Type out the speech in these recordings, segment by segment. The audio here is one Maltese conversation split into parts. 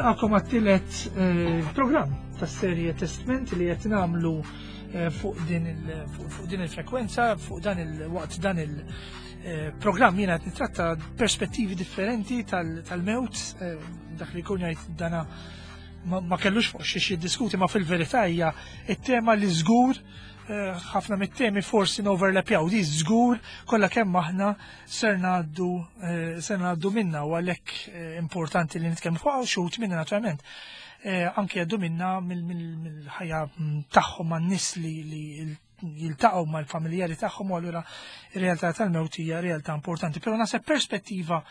Nilqakom għat-tielet eh, programm tas-serje Testment li qed nagħmlu eh, fuq din il-frekwenza, fuq dan il-waqt dan il-programm eh, jiena qed nitratta perspettivi differenti tal-mewt, dak li jkun jgħid dana ma kellux fuq xiex jiddiskuti ma fil-verità hija it-tema li żgur eh, ħafna mit-temi forsi noverlapjaw di żgur kollha kemm aħna ser ngħaddu eh, ser ngħaddu minna u għalhekk eh, importanti li nitkellmu fuq xut minna naturalment. Anke jgħaddu minna mill-ħajja mm, tagħhom man-nies li jiltaqgħu mal-familjari tagħhom u allura ir-realtà tal-mewt hija realtà importanti. Però naħseb perspettiva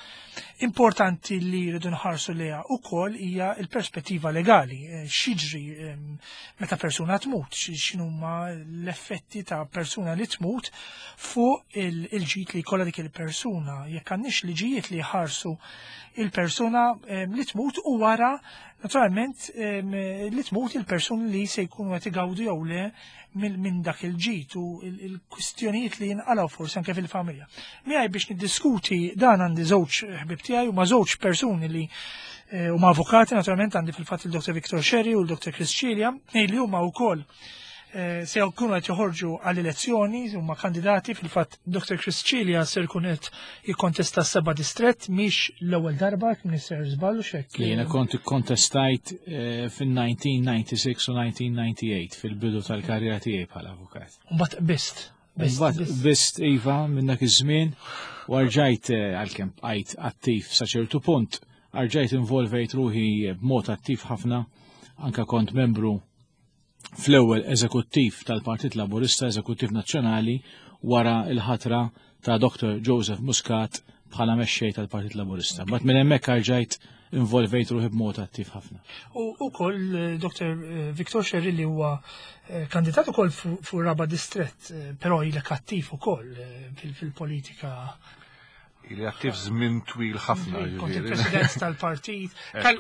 importanti li rridu nħarsu lejha wkoll hija l-perspettiva legali. Eh, x'jiġri ehm, meta persuna tmut, x'inhuma l-effetti ta' persuna li tmut fuq il-ġid li jkollha dik il-persuna. Jekk għandniex liġijiet li jħarsu il-persuna ehm, li tmut u wara naturalment ehm, li tmut il-persuni li se jkunu qed igawdu jew le minn dak il-ġid u il-kwistjonijiet li jinqalgħu forsi anke fil-familja. Miegħi biex niddiskuti dan għandi żewġ ħbib tiegħi u ma' żewġ persuni li eh, huma avukati naturalment għandi fil-fatt il-Dr. Victor Sherry u l-Dr. Chris Cilia, li huma wkoll eh, se jkunu qed joħorġu għall-elezzjoni huma kandidati fil-fatt Dr. Chris Cilia se jkun qed jikkontesta s-seba' distrett mhix l-ewwel darba jekk m'iniex żball x'hekk. Jiena kont ikkontestajt eh, fin-1996 u 1998 fil-bidu tal-karriera tiegħi bħala avukat. Mbagħad bist. Mbagħad bist iva minn dak iż-żmien u rġajt eh, għalkemm bqajt attiv sa ċertu punt, rġajt involvejt ruħi b'mod attiv ħafna anka kont membru fl-ewwel eżekuttiv tal-Partit Laburista, eżekuttiv nazzjonali, wara l-ħatra ta' Dr. Joseph Muscat bħala mexxej tal-Partit Laburista. Bat minn hemmhekk rġajt involvejt ruħi b'mod attiv ħafna. U wkoll eh, Dr. Eh, Victor Sherry li huwa eh, kandidat ukoll fuq raba distrett, però ilek attiv ukoll fil-politika Ili attiv żmien twil ħafna. Kont il-president tal-partit,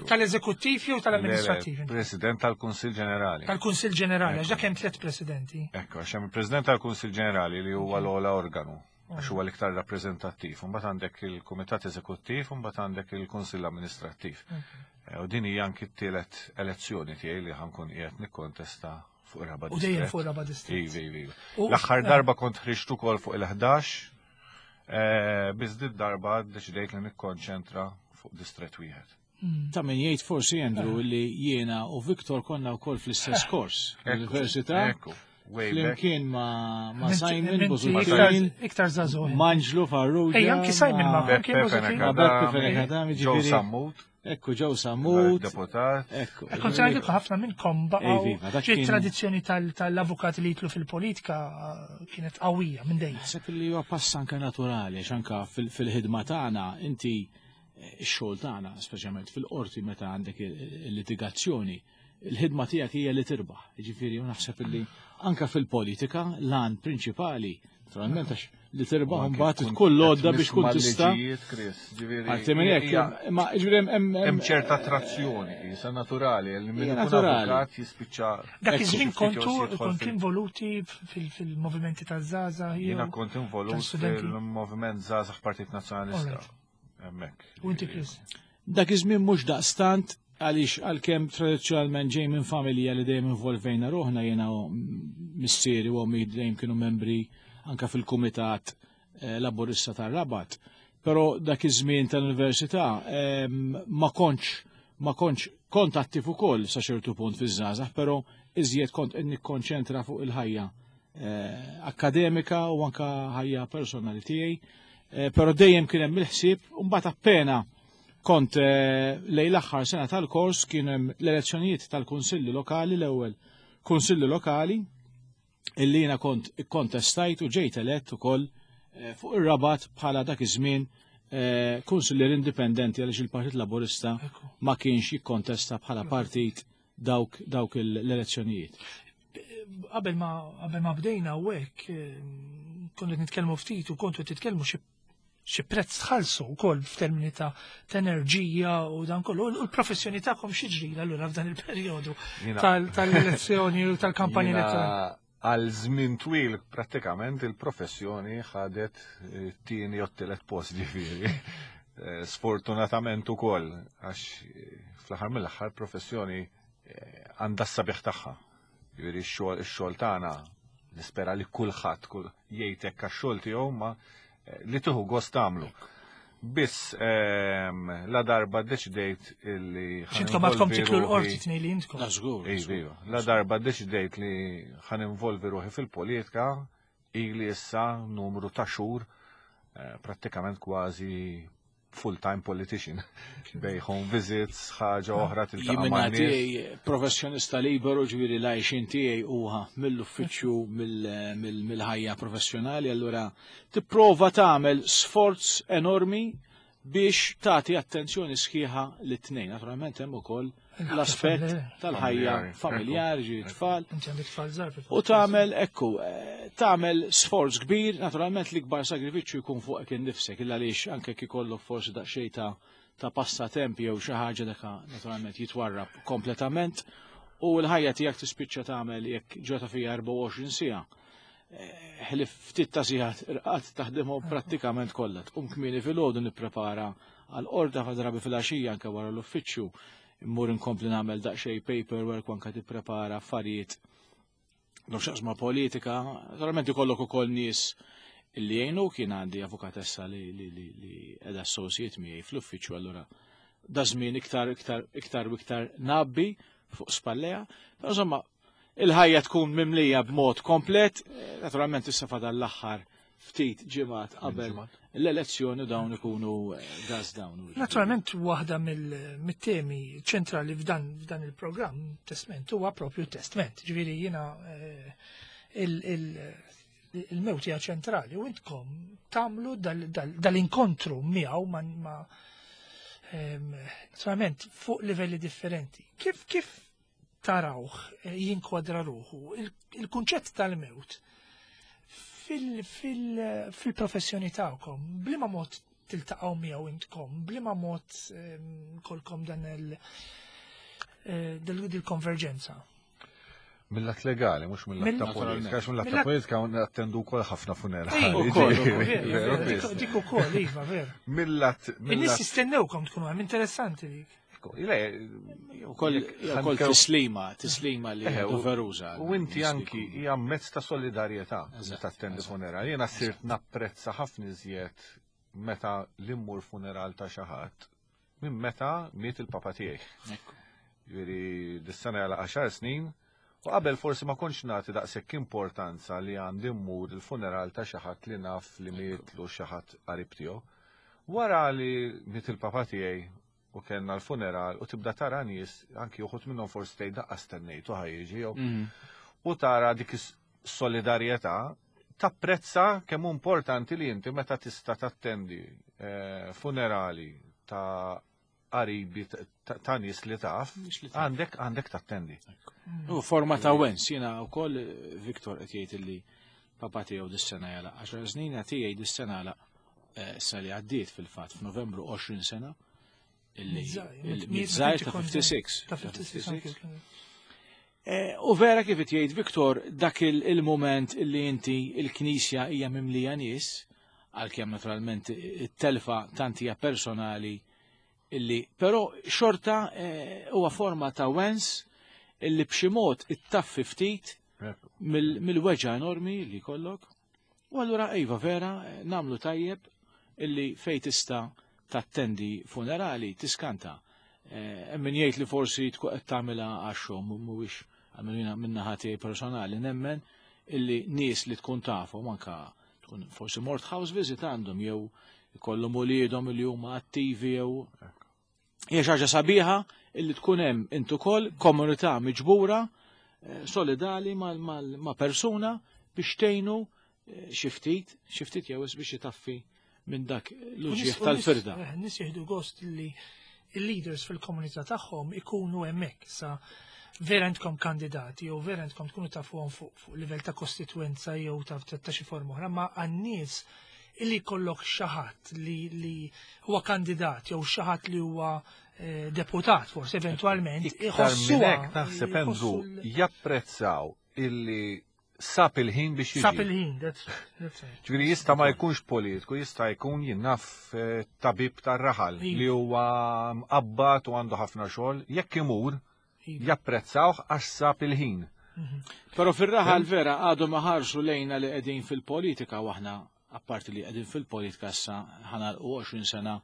tal-eżekuttiv jew tal-amministrattiv? President tal-Kunsill Ġenerali. Tal-Kunsill Ġenerali, għax dak hemm tliet presidenti. Ekku, għax hemm il-President tal-Kunsill Ġenerali li huwa l-ogħla organu għax huwa l-iktar rappreżentattiv. Mbagħad għandek il-Kumitat Eżekuttiv u mbagħad għandek il-Kunsill Amministrattiv. Eh, u din hija anki t-tielet elezzjoni tiegħi li ħankun qiegħed nikkontesta fuq ir-raba' U dejjem fuq ir-raba' distrett. Ivi, ivi. L-aħħar darba kont ħriġt ukoll fuq il-11 Eh, biss dit darba deċidejt li nikkonċentra fuq distret wieħed. Hmm. Ta' min jgħid forsi Andrew li jiena u Viktor konna wkoll fl-istess kors l-università. Flimkien ma, ma Simon Busuttil. Iktar zazu. Manġlu Farrugia. Ej, anki Simon ma Beppe Fenech Joe Sammut. Ekku ġew Sammut. Deputat. Ekku. Kont se ngħidilkom ħafna minnkom baqgħu. Ġiet tradizzjoni tal-avukati li jitlu fil-politika eh, kienet qawwija minn dejjem. Naħseb li huwa pass anke naturali għax anke fil-ħidma tagħna inti eh, x-xogħol tagħna, speċjalment fil-qorti meta għandek il-litigazzjoni, il-ħidma tiegħek hija li tirbaħ. Jiġifieri naħseb illi anke fil-politika l-għan prinċipali, naturalment għax li tirbaħ mbagħad tkun l-għodda biex tkun tista'. Għalti minn hekk, ma jiġifieri hemm ċerta attrazzjoni, isa naturali, li minn avukat jispiċċa. Dak iż-żmien kontu kont involuti fil-movimenti taż-żgħażagħ. Jiena kont involut fil-moviment żgħażagħ Partit Nazzjonalista. Hemmhekk. U inti Chris? Dak iż-żmien mhux daqstant għaliex għalkemm tradizzjonalment ġej minn familja li dejjem involvejna ruħna jiena missieri u ommi dejjem kienu membri anka fil-kumitat eh, laburista tar-Rabat. Però dak iż-żmien tal-università ehm, ma kontx ma kontx kont attiv ukoll sa ċertu punt fiż-żgħażagħ, però iżjed kont qed nikkonċentra fuq il-ħajja eh, akademika u anka ħajja personali tiegħi. Eh, però dejjem kien hemm il-ħsieb u mbagħad appena kont eh, lejn l-aħħar sena tal-kors kien hemm l-elezzjonijiet tal-kunsilli lokali l-ewwel kunsilli lokali illi jiena kont ikkontestajt u ġejt elett ukoll eh, fuq ir-Rabat bħala dak iż-żmien kunsillier indipendenti għaliex il-Partit Laburista ma kienx jikkontesta bħala partit dawk dawk l-elezzjonijiet. Qabel ma qabel ma bdejna u hekk eh, konna qed nitkellmu ftit u kontu qed titkellmu xi xi prezz tħallsu wkoll f'termini ta' enerġija u dan kollu. U l-professjoni tagħkom xi ġrila allura f'dan il-perjodu tal-elezzjoni u tal-kampanja elettorali. Għal żmien twil prattikament il-professjoni ħadet eh, tieni jew tielet post ġifieri. Eh, sfortunatament ukoll għax eh, Fl-aħħar mill-aħħar professjoni għandha s-sabiħ tagħha. Jiġifieri x-xogħol tagħna nispera li kulħadd kull jgħid hekk għax-xogħol tiegħu ma li tieħu gost tagħmlu. Biss la darba ddeċidejt illi. X'intkom għadkom tiklu l-qorti tnej li intkom. La żgur. Iva, la darba ddeċidejt li ħa ninvolvi ruħi fil-politika ili issa numru ta' xhur prattikament kważi full-time politician. Bej home visits, ħaġa oħra tiltaqa' ma' tiegħi professjonista liberu ġifieri l-għajxin tiegħi huwa mill-uffiċċju mill-ħajja professjonali, allura tipprova tagħmel sforz enormi biex tagħti attenzjoni sħiħa lit-tnejn. Naturalment hemm ukoll l-aspett tal-ħajja familjari, ġifieri tfal. U tagħmel ekku, tagħmel sforz kbir, naturalment l-ikbar sagrifiċċju jkun fuqek innifsek, illa għaliex anke kif ikollok forsi daqsxejn ta' passatemp jew xi ħaġa dak naturalment jitwarrab kompletament u l-ħajja tiegħek tispiċċa tagħmel jekk ġota fija 24 siegħa. Ħlif ftit ta' sigħat irqad taħdimhom prattikament kollha. Tqum kmieni filgħodu nipprepara għal qorta fa' drabi filgħaxija anke wara l-uffiċċju immur inkompli nagħmel daqsxejn paperwork u anke tipprepara affarijiet x'jaqsmu politika. Naturalment ikollok ukoll nies li jgħinu kien għandi avukatessa li li qiegħda associate miegħi fl-uffiċċju allura da żmien iktar iktar iktar u iktar nabbi fuq spalleja. Però insomma, il-ħajja tkun mimlija b'mod komplet, naturalment issa fadal l-aħħar ftit ġimgħat qabel l-elezzjoni dawn ikunu gas down. Naturalment waħda mill-temi ċentrali f'dan il-programm Testment huwa propju testament. Ġifieri jiena il-mewt hija ċentrali u intkom tagħmlu dal-inkontru miegħu ma naturalment fuq livelli differenti. Kif tarawh jinkwadra ruħu il-kunċett tal-mewt fil-professjoni tagħkom, bliema mod tiltaqgħu miegħu intkom, bliema mod kolkom dan il-konverġenza? Mill-lat legali, mhux mill-lat ta' politika, għax mill-lat ta' politika attendu wkoll ħafna funerali. Dik ukoll, iva, veru. Mill-lat. In-nies jistennewkom tkunu hemm interessanti dik. Ukoll tislima li doveruża. U inti anki hija mezz ta' solidarjetà meta attendi funeral. Jiena sirt napprezza ħafna iżjed meta l-immur funeral ta' xi ħadd minn meta miet il-papa tiegħi. Ġifieri dis-sena għal 10 snin u qabel forsi ma kontx nagħti daqshekk importanza li għandi mmur il-funeral ta' xi ħadd li naf li mietlu xi ħadd qarib tiegħu. Wara li miet il-papa tiegħi u kellna l-funeral u tibda tara nies anki uħud minnhom forsi tgħid daqqa stennejtu ħa jiġi jew u tara dik is-solidarjetà tapprezza kemm hu importanti li inti meta tista' tattendi funerali ta' qaribi ta' nies li taf, għandek tattendi. U forma ta' wens, jiena wkoll Viktor qed jgħid li papa tiegħu dis-sena jala 10 snin, tiegħi dis-sena għalaq sa li għaddiet fil-fatt f'Novembru 20 sena. Illi miż-żgħir ta' 56. Ta' 56. U vera kif jgħid Viktor, dak il-moment illi inti il-knisja hija mimlija nies, għalkemm naturalment it-telfa tant hija personali illi però xorta huwa forma ta' wens illi b'xi mod ittaffi ftit mill-weġgħa enormi li jkollok. U allura iva vera nagħmlu tajjeb illi fej tista' tattendi funerali tiskanta. Hemm min jgħid li forsi tkun qed tagħmilha għax-xogħol mhuwiex għamilina minna tiegħi personali nemmen illi nies li tkun tafhom anka tkun forsi mort house visit għandhom jew ikollhom uliedhom li huma attivi jew hija xi ħaġa sabiħa illi tkun hemm int ukoll komunità miġbura solidali ma' persuna biex tgħinu xi ftit jew biex jitaffi minn dak l-uġieħ tal-firda. Nies jieħdu gost li il-leaders fil-komunità tagħhom ikunu hemmhekk sa vera intkom kandidati jew vera intkom tkunu tafuhom fuq livell ta' kostituenza jew ta' xi forma oħra, ma għan-nies illi jkollok xi ħadd li huwa kandidat jew xi ħadd li huwa deputat forsi eventwalment Iktar minn hekk naħseb Andrew japprezzaw illi Sab il-ħin biex jiġi. Sab il-ħin, that's right. Ġifieri jista' ma jkunx politiku, jista' jkun jien naf tabib tar-raħal li huwa mqabbad u għandu ħafna xogħol, jekk imur japprezzawh għax sab il-ħin. Però fir-raħal vera għadhom iħarsu lejna li qegħdin fil-politika u aħna apparti li qegħdin fil-politika issa ħanalqu 20 sena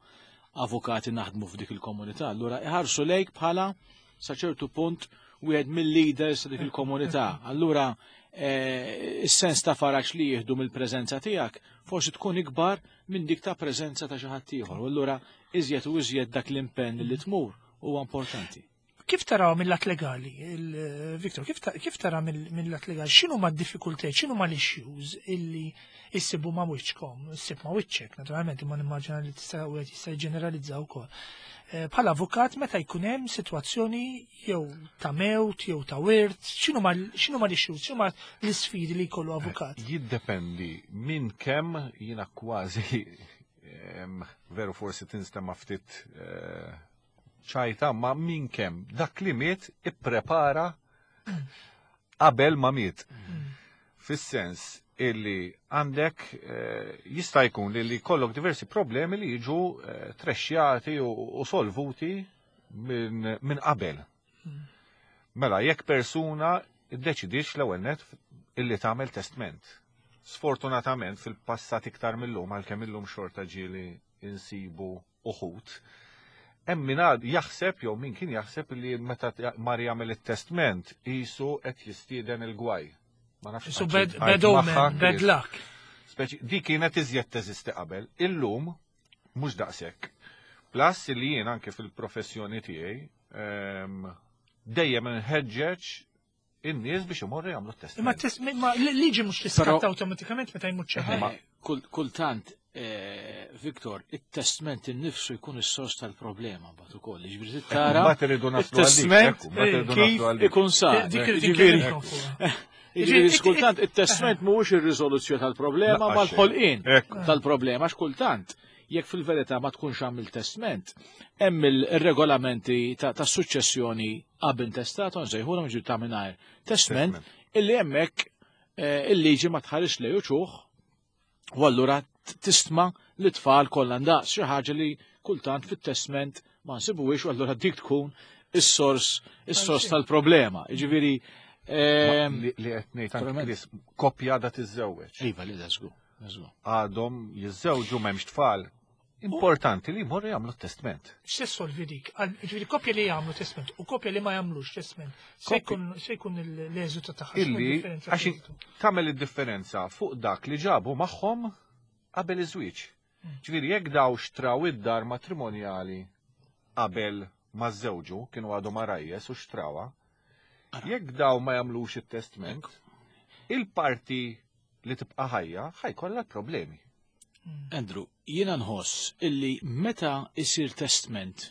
avukati naħdmu f'dik il-komunità. Allura iħarsu lejk bħala sa ċertu punt wieħed mill-leaders ta' dik il-komunità. Allura is-sens ta' faraġ li jieħdu mill-preżenza tiegħek forsi tkun ikbar minn dik ta' preżenza ta' xi ħadd ieħor. U allura iżjed u iżjed dak l-impenn li tmur huwa importanti. Kif taraw mill-lat legali, Victor, kif tara mill-lat legali, x'inhu ma d-diffikultajiet, x'inhu ma l-issues illi issibu ma' wiċċkom, issib ma' wiċċek, naturalment, imma nimmaġina li tista' wieħed jista' jġeneralizza wkoll. Bħala avukat meta jkun hemm sitwazzjoni jew ta' mewt jew ta' wirt, x'inhu ma l-issues, x'inhu ma l-isfidi li jkollu avukat? Jiddependi minn kemm jiena kważi veru forsi tinstema' ftit ċajta, ma minn kemm dak li miet ipprepara qabel ma miet. Fis-sens illi għandek jista' jkun li jkollok diversi problemi li jiġu trexxjati u solvuti minn qabel. Mela, jekk persuna iddeċidix l-ewwel net illi tagħmel testment. Sfortunatament fil-passat iktar mill-lum, għalkemm illum xorta ġieli insibu uħud, hemm min għad jaħseb jew min kien jaħseb li meta mar jagħmel it-testment qisu qed jistieden il-gwaj. Ma nafx Isu għad bad, xi bad tgħid omen, magħha, bad Chris. luck. Speċi, di kienet iżjed teżisti qabel, illum mhux daqshekk. Plus li jien anke fil-professjoni tiegħi dejjem nħeġġeġ in-nies biex imorru jagħmlu t-testament. Imma test, ma liġi mhux tiskatta Però awtomatikament meta jmut xi ħadd. Kultant, Viktor, it-testament innifsu jkun is-sors tal-problema mbagħad ukoll. Jiġifieri Ekku, tara mbagħad irridu naslu għalik, it-testament ekku, mbagħad irridu kif naslu għalik. ikun sar. Dik irridu Jiġifieri, nkellmkom fuqha. Jiġifieri, Jiġifieri, kultant it-testament mhuwiex ir-riżoluzzjoni tal-problema, Laqgħa ma l-ħolqien xejn. Ekku. tal-problema, għax kultant jekk fil-verità ma tkunx għamil testament, hemm il-regolamenti ta' suċċessjoni ab intestato, nsejħulhom ġifieri ta' mingħajr testament, Testament. illi hemmhekk il-liġi ma tħares lej uċuħ, u allura tistma li tfal kollha ndaqs, xi ħaġa li kultant fit-testament ma nsibuhiex, u allura dik tkun is-sors tal-problema. Jiġifieri, Li qed ngħid anke naturalment. Chris, koppja għadha tiżżewweġ. Iva, li da żgur, da żgur. Għadhom jiżżewġu m'hemmx tfal. Importanti li jmorru jagħmlu testament. X'se solvi dik? Ġifieri koppja li jagħmlu testament u koppja li ma jagħmlux testament. Se Koppja- jkun l-eżitu tagħha, x'inhu Illi d-differenza għax fl-eżitu? tagħmel id-differenza fuq dak li ġabu magħhom qabel iż-żwieġ. Ġifieri jekk daw xtraw id-dar matrimonjali qabel ma żewġu, kienu għadhom arajjes u xtrawha, jekk daw ma jagħmlux it-testament, il-parti li tibqa' ħajja ħajkollha problemi. Andrew, jiena nħoss illi meta isir testament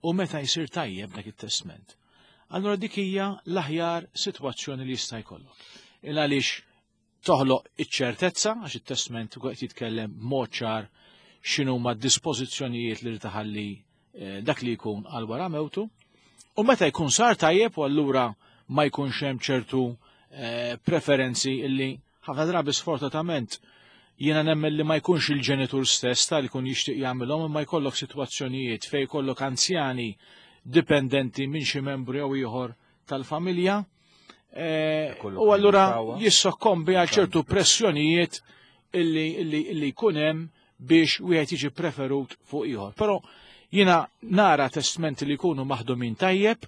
u meta jsir tajjeb dak it-testament, allura dik hija l-aħjar sitwazzjoni li jista' jkollok. Il għaliex toħloq iċ-ċertezza, għax it-testament qed jitkellem b'mod ċar x'inhu ma dispożizzjonijiet li taħalli dak li jkun għal wara mewtu, u meta jkun sar tajjeb u allura ma jkunx hemm ċertu preferenzi illi ħafna drabi sfortunatament jiena nemmen li ma jkunx il-ġenitur stess tal jkun jixtieq jagħmilhom, imma jkollok sitwazzjonijiet fejn jkollok anzjani dipendenti minn xi membru jew ieħor tal-familja, Jkollok u allura min jixtawha. jissokkombi għal ċertu pressjonijiet illi jkun hemm biex wieħed jiġi preferut fuq ieħor. Però jiena nara testmenti li jkunu maħdumin tajjeb,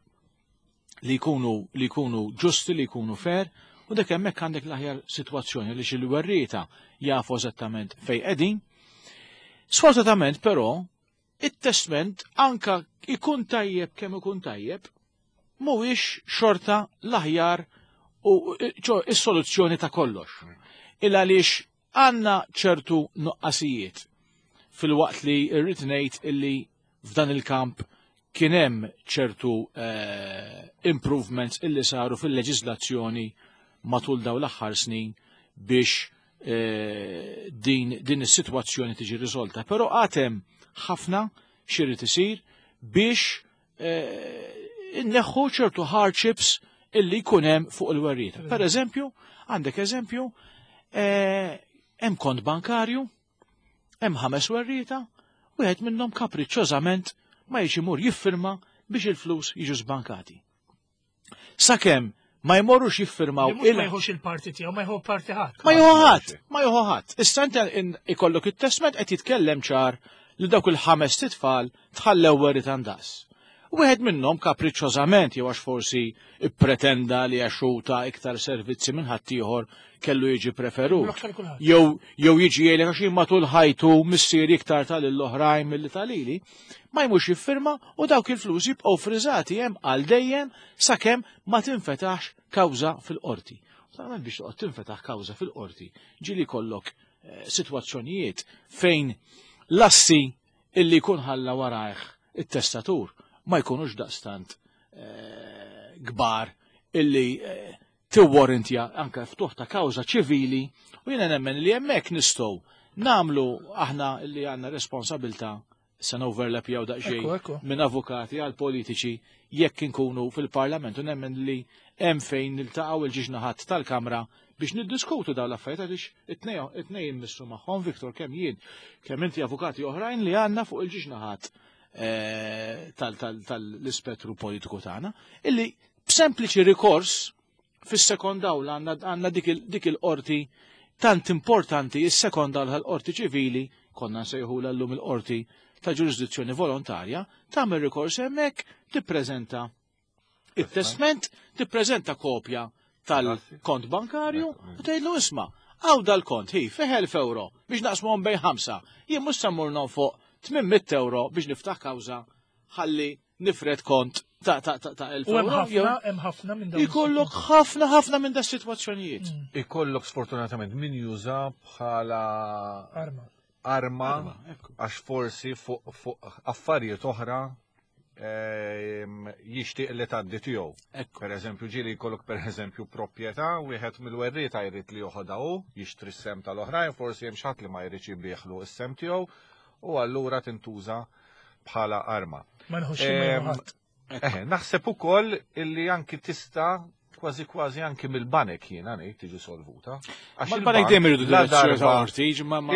li jkunu ġusti, li jkunu fair, u dak hemmhekk għandek l-aħjar sitwazzjoni li xi werrieta jafu eżattament fejn qegħdin. Sfortunatament però, it-testament anka ikun tajjeb kemm ikun tajjeb, mhuwiex xorta l-aħjar u ċo is-soluzzjoni ta' kollox. Il għaliex għandna ċertu nuqqasijiet fil-waqt li rrid ngħid illi f'dan il-kamp kien hemm ċertu improvements illi saru fil-leġiżlazzjoni matul dawn l-aħħar snin biex din is-sitwazzjoni tiġi riżolta. Però għad hemm ħafna x'irid isir biex inneħħu ċertu hardships illi jkun hemm fuq il-werrieta. Per eżempju, għandek eżempju, eh, hemm kont bankarju, hemm ħames werrieta, wieħed minnhom kapriċċożament ma jiex imur jiffirma biex il-flus jiġu żbankati. Sakemm ma jmorrux jiffirmaw il Ma jħux il-parti tiegħu, ma jħu parti ħadd. Ma jħu ħadd, ma jħu ħadd. Issa inti ikollok it-testment qed jitkellem ċar li dawk il-ħames titfal tħallew werriet għandas. Wieħed minnhom kapriċċożament jew għax forsi ippretenda li għax hu ta iktar servizzi minn ħaddieħor kellu jiġi preferut. Jew jew jiġi jgħidlek għax jien matul ħajtu missieri iktar ta lill-oħrajn milli ta lili, ma jmurx jiffirma u dawk il-flus jibqgħu friżati hemm għal dejjem sakemm ma tinfetaħx kawża fil-qorti. Naturalment biex toqgħod tinfetaħ kawża fil-qorti ġieli jkollok eh, sitwazzjonijiet fejn l-assi illi jkun ħalla warajh it-testatur ma jkunux daqstant eh, kbar illi eh, tiwwarrantja anke ftuħ ta' kawża ċivili u jiena nemmen li hemmhekk nistgħu nagħmlu aħna li għandna responsabilta se overlap jew daqsxejn minn avukati għal politiċi jekk inkunu fil-parlament u nemmen li hemm fejn niltaqgħu il-ġiex naħat tal-Kamra biex niddiskutu dawn l-affarijiet għaliex it-tnejn immissu magħhom Viktor kemm jien kemm inti avukati oħrajn li għandna fuq il-ġiex naħat eh, tal-ispettru politiku tagħna illi b'sempliċi rikors fis-sekond awla għandna dik il-qorti tant importanti is-sekond awla tal-qorti ċivili konna nsejħula llum il-qorti ta' ġurisdizzjoni volontarja, tagħmel rikors hemmhekk tippreżenta it-testment, tippreżenta kopja tal-kont bankarju u tgħidlu isma' hawn dal-kont hi fih 1000 euro biex naqsmuhom bejn ħamsa. Jien mhux se mmur nonfoq 800 euro biex niftaħ kawża ħalli nifred kont ta' ta' ta' ta' 1000 euro. Hemm ħafna minn dawn. Ikollok ħafna ħafna minn da sitwazzjonijiet. Mm. Ikollok sfortunatament min juża bħala arma. Arma għax forsi fuq affarijiet oħra ehm, jixtieq li tgħaddi tiegħu. Per eżempju, ġieli jkollok per eżempju proprjetà, wieħed mill-werrieta jrid li joħodha hu, jixtri s-sem tal-oħrajn, forsi hemm xi ħadd li ma jridx jibieħlu s-sem tiegħu u allura tintuża bħala arma. Ma nħossx ehm, Eh, naħseb ukoll illi anki tista' kważi kważi anki mill-banek jiena ngħid tiġi solvuta. Għax il-banek dejjem iridu direzzjoni ta' qorti,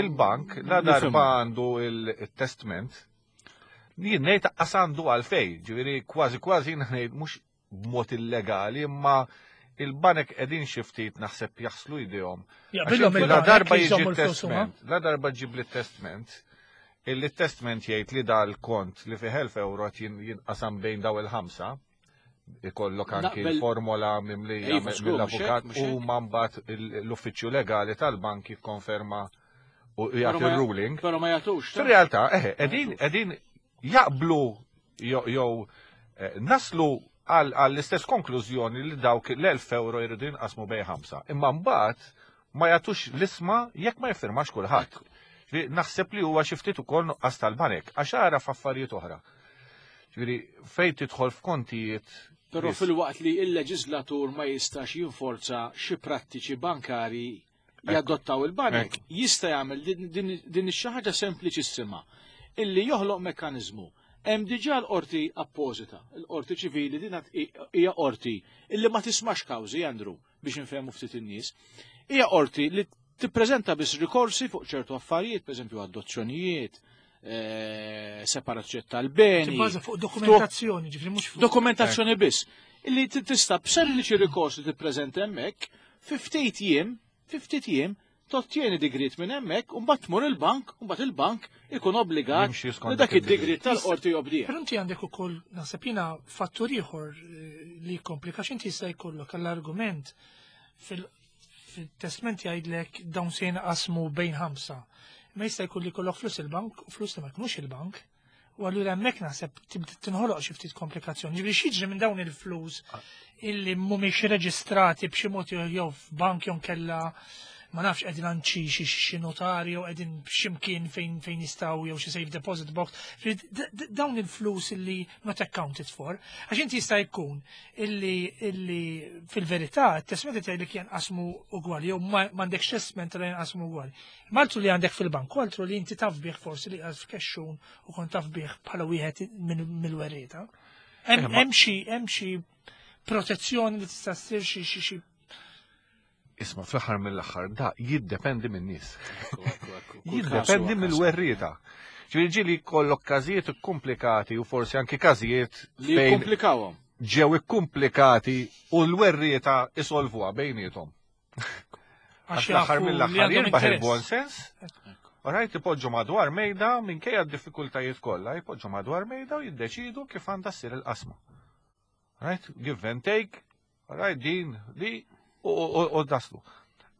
il-bank la darba għandu il-testment, jien ngħid qas għandu għalfej, ġifieri kważi kważi ngħid mhux b'mod illegali, imma il-banek qegħdin xi ftit naħseb jaħslu jdejhom. La darba jiġi testment, la darba ġib li testment, illi testment jgħid li dal-kont li fih 1000 euro qed jinqasam bejn daw il-ħamsa, ikollok anki l-formola mimlija iva, mill-avukat u mbagħad l-uffiċċju legali tal-bank jikkonferma u jagħti ruling. Però ma jagħtux. Fir-realtà, eħe, qegħdin qegħdin jaqblu jew eh, naslu għall-istess konklużjoni li dawk l-1000 euro jridu jinqasmu bej ħamsa. Imma mbagħad ma jagħtux l-isma jekk ma jiffirmax kulħadd. Naħseb li huwa xi ftit ukoll nuqqas tal-banek għax ara f'affarijiet oħra. Ġifieri fejn tidħol f'kontijiet Però fil-waqt li il-leġislatur ma jistax jinforza xi prattiċi bankari jadottaw il-banek, jista' jagħmel din ix ħaġa sempliċissima illi joħloq mekkaniżmu. Hemm diġà l-qorti appożita, il-qorti ċivili din hija qorti illi ma tismax kawżi, Andrew, biex infehmu ftit in-nies. Hija qorti li tippreżenta biss rikorsi fuq ċertu affarijiet, pereżempju adozzjonijiet, eh, separazzjoni tal-beni. Tibbaża fuq dokumentazzjoni, ġifri mhux fuq. Dokumentazzjoni biss. Illi tista' b'sempliċi rikors li tippreżenta hemmhekk, fi ftit jiem, fi ftit jiem, tottieni digriet minn hemmhekk u mbagħad tmur il-bank, u mbagħad il-bank ikun obbligat li dak id-digriet tal-qorti jobdih. Però inti għandek ukoll naħseb jiena fattur ieħor eh, li jkomplika x'inti jista' jkollok għall-argument fil-testment jgħidlek dawn se jinqasmu bejn ħamsa. Ma jista' jkun li jkollok flus il-bank u flus li ma jkunux il-bank. U allura hemmhekk naħseb tibda tinħoloq xi ftit komplikazzjoni. Ġifieri x'jiġri minn dawn il-flus illi mhumiex reġistrati b'xi mod jew f'bank jew kella ma nafx qegħdin għand xi xi notarju qegħdin x'imkien fejn fejn jistgħu jew xi safe deposit box. Dawn il-flus illi not accounted for, għax inti jista' jkun illi illi fil-verità t-testment qed jgħidlek jenqasmu ugwali jew m'għandekx testment li jenqasmu ugwali. Maltu li għandek fil-bank, altru li inti taf bih forsi li għaz f'kexxun u kont taf bih bħala wieħed mill-werrieta. Hemm xi hemm xi protezzjoni li tista' ssir xi xi xi Isma' fl-aħħar mill-aħħar da jiddependi min-nies. Kull każ Jiddependi huwa każ. mill-werrieta. Ġifieri ġieli jkollok każijiet ikkumplikati u forsi anki każijiet Li fejn jikkomplikawhom. ġew ikkumplikati u l-werrieta isolvuha bejniethom. għax Għax l-aħħar jafu li mill-aħħar għandhom jirbaħ interess. il-buon sens. Rajt ipoġġu madwar mejda minkejja d-diffikultajiet kollha, jpoġġu madwar mejda u jiddeċidu kif għandha ssir il-qasma. Right? Give and take, right, din, di, u daslu.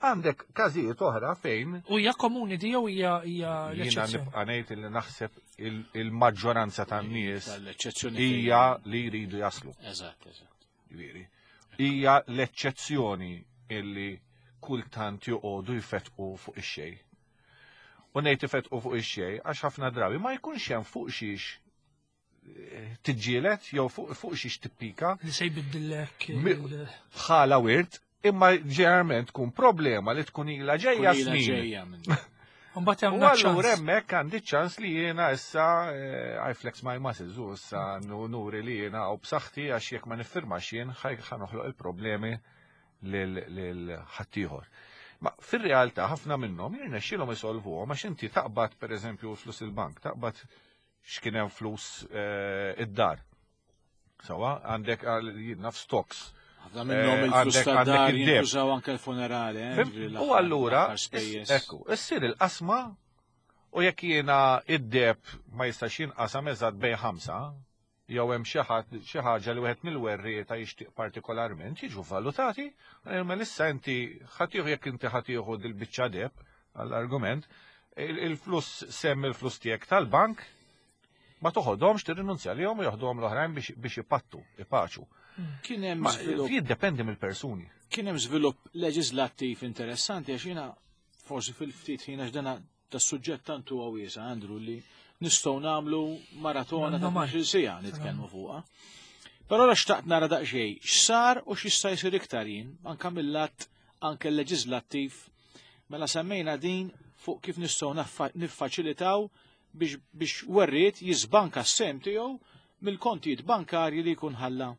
Għandek każijiet oħra fejn U hija komuni di jew hija hija jiena l-eċċezzjoni. nibqa' ngħid li naħseb il-maġġoranza tan-nies Tal-eċċezzjoni hija li jridu jaslu. Eżatt, eżatt. Ġifieri. Hija l-eċċezzjoni illi kultant joqogħdu jfetqu fuq ix-xejn. U ngħid ifetqu fuq ix-xejn għax ħafna drabi ma jkunx hemm fuq xiex eh, tiġġielet jew fuq fuq xiex tippika Li se jbiddillek bħala wirt, imma ġeneralment tkun problema li tkun ilha ġejja Kull ilha snin. ġejja minn. Mbagħad U hemm allura ċans. hemmhekk għandi ċans li jiena issa eh, I flex my muscles u issa nuri li jiena u b'saħħti għax jekk ma niffirmax jien ħa noħloq il-problemi lil ħaddieħor. Ma fir-realtà ħafna minnhom jirnexxielhom isolvuhom għax inti taqbad pereżempju flus il-bank, taqbad x'kien hemm flus eh, id-dar. Sawa, għandek għal jien naf stocks. Ħafna minnhom Eh, il-flus għandek- tad-dar għandek id-deb. jintużaw anke l-funerali, eh, Fim? ġifieri U l-aħħar- allura, l-aħħar spejjeż. ekku, issir il-qasma u jekk jiena id-deb ma jistax jinqasam eżatt bejn ħamsa, jew hemm xi ħadd xi ħaġa li wieħed mill-werrieta jixtieq partikolarment jiġu valutati, imma issa inti ħadd jekk inti ħadd jieħu dil-biċċa deb għall-argument, il-flus semm il-flus tiegħek tal-bank ma toħodhomx tirrinunzja lihom u joħduhom l-oħrajn biex ipattu, ipaċu. Kien hemm Ma żvilupp jiddependi mill-persuni. kien hemm żvilupp leġislattiv interessanti għax jiena forsi fil-ftit ħin għax dana tas-suġġett tant huwa wiesa' Andrew li nistgħu nagħmlu maratona ta' Normal. 12 siegħa nitkellmu fuqha. Però la xtaqt nara daqsxejn x'sar u x'jista' jsir iktar jien anke mill-att anke leġislattiv mela semmejna din fuq kif nistgħu niffaċilitaw biex biex werriet jiżbanka s-sem tiegħu mill-kontijiet bankarji li jkun ħalla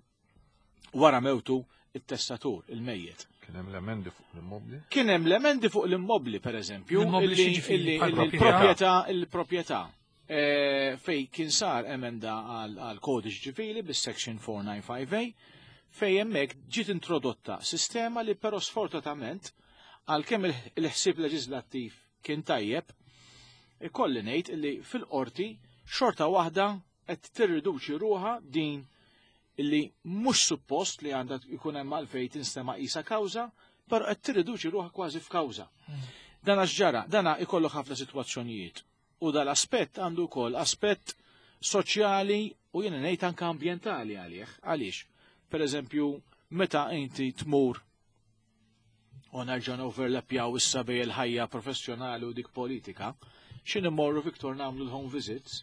wara mewtu it-testatur, il-mejjet. Kien hemm l-emendi fuq l-immobli. Kien hemm l-emendi fuq l-immobli, per eżempju, L-immobli illi x'jiġifieri? illi- Bħal illi proprjetà? l-proprjetà il-proprjetà eh, fej kien sar emenda għal kodiċ ċivili bis-section 495A fej hemmhekk ġiet introdotta sistema li però sfortunatament għalkemm il-ħsieb leġislattiv kien tajjeb, ikolli ngħid illi fil-qorti xorta waħda qed tirriduċi ruħa din illi mhux suppost li għandha jkun hemm għalfejn tinstema' qisha kawża, però qed tirriduċi ruħha kważi f'kawża. Dana x'ġara, dana ikollu ħafna sitwazzjonijiet. U dal-aspett għandu wkoll aspett soċjali u jiena ngħid anke ambjentali għalih. Għaliex? Per eżempju, meta inti tmur u nerġa' overlapjaw issa bej il-ħajja professjonali u dik politika, x'in immorru Viktor nagħmlu l-home visits,